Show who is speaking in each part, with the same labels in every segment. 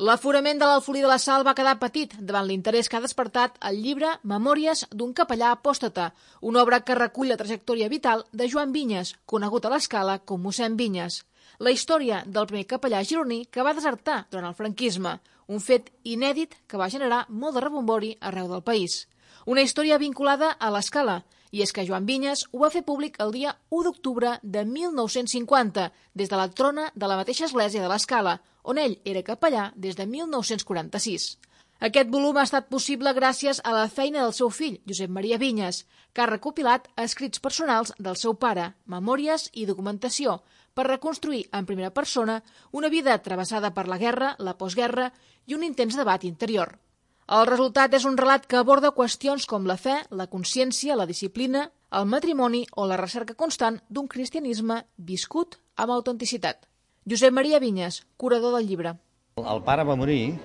Speaker 1: L'aforament de l'Alfolí de la Sal va quedar petit davant l'interès que ha despertat el llibre Memòries d'un capellà apòstata, una obra que recull la trajectòria vital de Joan Vinyes, conegut a l'Escala com mossèn Vinyes. La història del primer capellà gironí que va desertar durant el franquisme, un fet inèdit que va generar molt de rebombori arreu del país. Una història vinculada a l'Escala, i és que Joan Vinyes ho va fer públic el dia 1 d'octubre de 1950, des de la trona de la mateixa església de l'Escala, on ell era capellà des de 1946. Aquest volum ha estat possible gràcies a la feina del seu fill, Josep Maria Vinyes, que ha recopilat escrits personals del seu pare, memòries i documentació, per reconstruir en primera persona una vida travessada per la guerra, la postguerra i un intens debat interior. El resultat és un relat que aborda qüestions com la fe, la consciència, la disciplina, el matrimoni o la recerca constant d'un cristianisme viscut amb autenticitat. Josep Maria Vinyes, curador del llibre.
Speaker 2: El pare va morir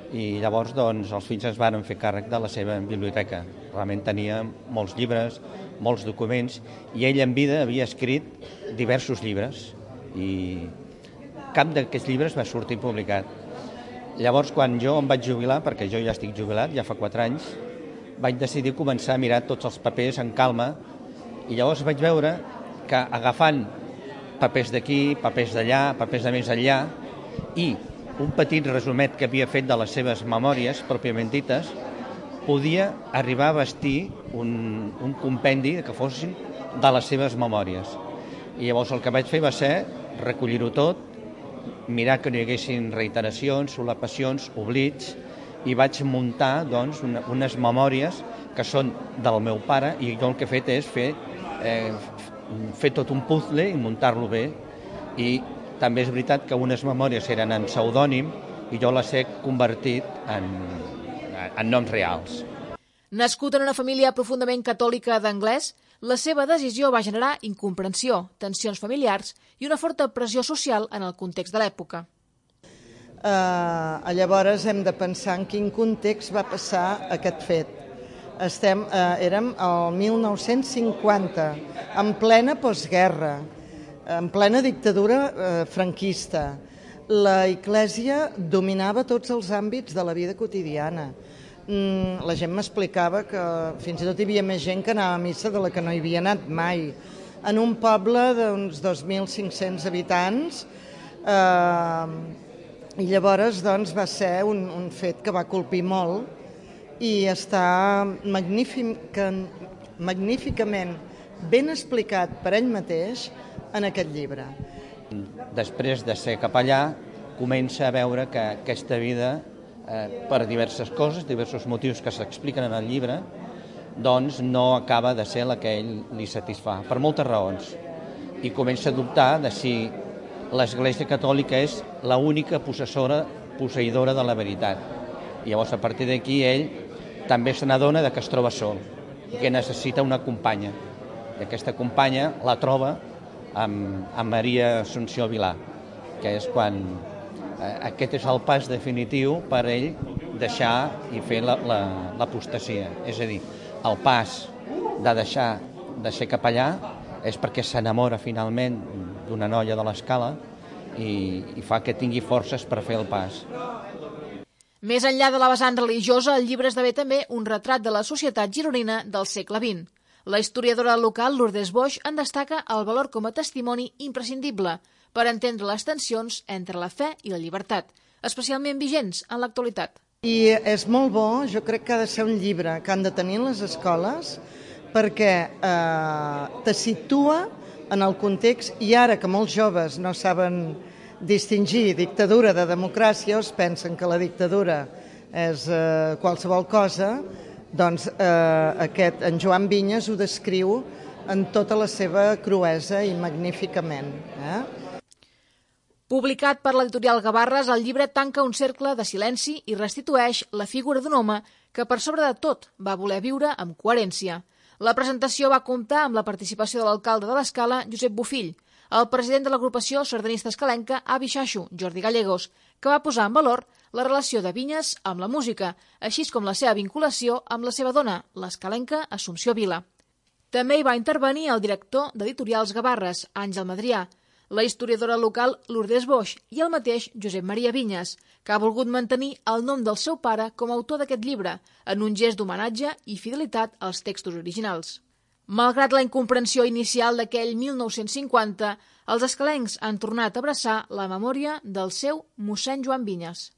Speaker 2: i llavors els fills es van fer càrrec de la seva biblioteca. Realment tenia molts llibres, molts documents, i ell en vida havia escrit diversos llibres i cap d'aquests llibres va sortir publicat. Llavors, quan jo em vaig jubilar, perquè jo ja estic jubilat, ja fa 4 anys, vaig decidir començar a mirar tots els papers en calma i llavors vaig veure que agafant papers d'aquí, papers d'allà, papers de més enllà i un petit resumet que havia fet de les seves memòries, pròpiament dites, podia arribar a vestir un compendi que fossin de les seves memòries. I llavors el que vaig fer va ser recollir-ho tot, mirar que no hi haguessin reiteracions, solapacions, oblits, i vaig muntar unes memòries que són del meu pare, i jo el que he fet és fer tot un puzzle i muntar-lo bé. I també és veritat que unes memòries eren en pseudònim i jo les he convertit en noms reals.
Speaker 1: Nascut en una família profundament catòlica d'anglès, la seva decisió va generar incomprensió, tensions familiars i una forta pressió social en el context de l'època.
Speaker 3: Llavors hem de pensar en quin context va passar aquest fet. Érem al 1950, en plena postguerra, en plena dictadura franquista. La Església dominava tots els àmbits de la vida quotidiana. La gent m'explicava que fins i tot hi havia més gent que anava a missa de la que no hi havia anat mai. En un poble d'uns 2.500 habitants, i llavors va ser un fet que va colpir molt i està magníficament ben explicat per ell mateix en aquest llibre.
Speaker 2: Després de ser capellà, comença a veure que aquesta vida, per diverses coses, diversos motius que s'expliquen en el llibre, doncs no acaba de ser la que ell li satisfà, per moltes raons. I comença a dubtar de si l'Església Catòlica és l'única posseïdora de la veritat. I llavors, a partir d'aquí, ell també se n'adona que es troba sol i que necessita una companya. I aquesta companya la troba amb Maria Assumpció Vilà, que és quan aquest és el pas definitiu per ell deixar i fer l'apostasia. És a dir, el pas de deixar de ser capellà és perquè s'enamora finalment d'una noia de l'Escala i fa que tingui forces per fer el pas.
Speaker 1: Més enllà de la vessant religiosa, el llibre esdevé també un retrat de la societat gironina del segle XX. La historiadora local Lourdes Boix en destaca el valor com a testimoni imprescindible per entendre les tensions entre la fe i la llibertat, especialment vigents en l'actualitat.
Speaker 3: I és molt bo, jo crec que ha de ser un llibre que han de tenir les escoles perquè te situa en el context, i ara que molts joves no saben distingir dictadura de democràcia, o es pensen que la dictadura és qualsevol cosa, doncs en Joan Vinyes ho descriu en tota la seva cruesa i magníficament.
Speaker 1: Publicat per l'editorial Gavarres, el llibre tanca un cercle de silenci i restitueix la figura d'un home que, per sobre de tot, va voler viure amb coherència. La presentació va comptar amb la participació de l'alcalde de l'Escala, Josep Bofill, el president de l'agrupació sardanista escalenca Avi Xaxo, Jordi Gallegos, que va posar en valor la relació de Vinyes amb la música, així com la seva vinculació amb la seva dona, l'escalenca Assumpció Vila. També hi va intervenir el director d'Editorials Gavarres, Àngel Madrià. la historiadora local Lourdes Boix i el mateix Josep Maria Vinyes, que ha volgut mantenir el nom del seu pare com a autor d'aquest llibre, en un gest d'homenatge i fidelitat als textos originals. Malgrat la incomprensió inicial d'aquell 1950, els escalencs han tornat a abraçar la memòria del seu mossèn Joan Vinyes.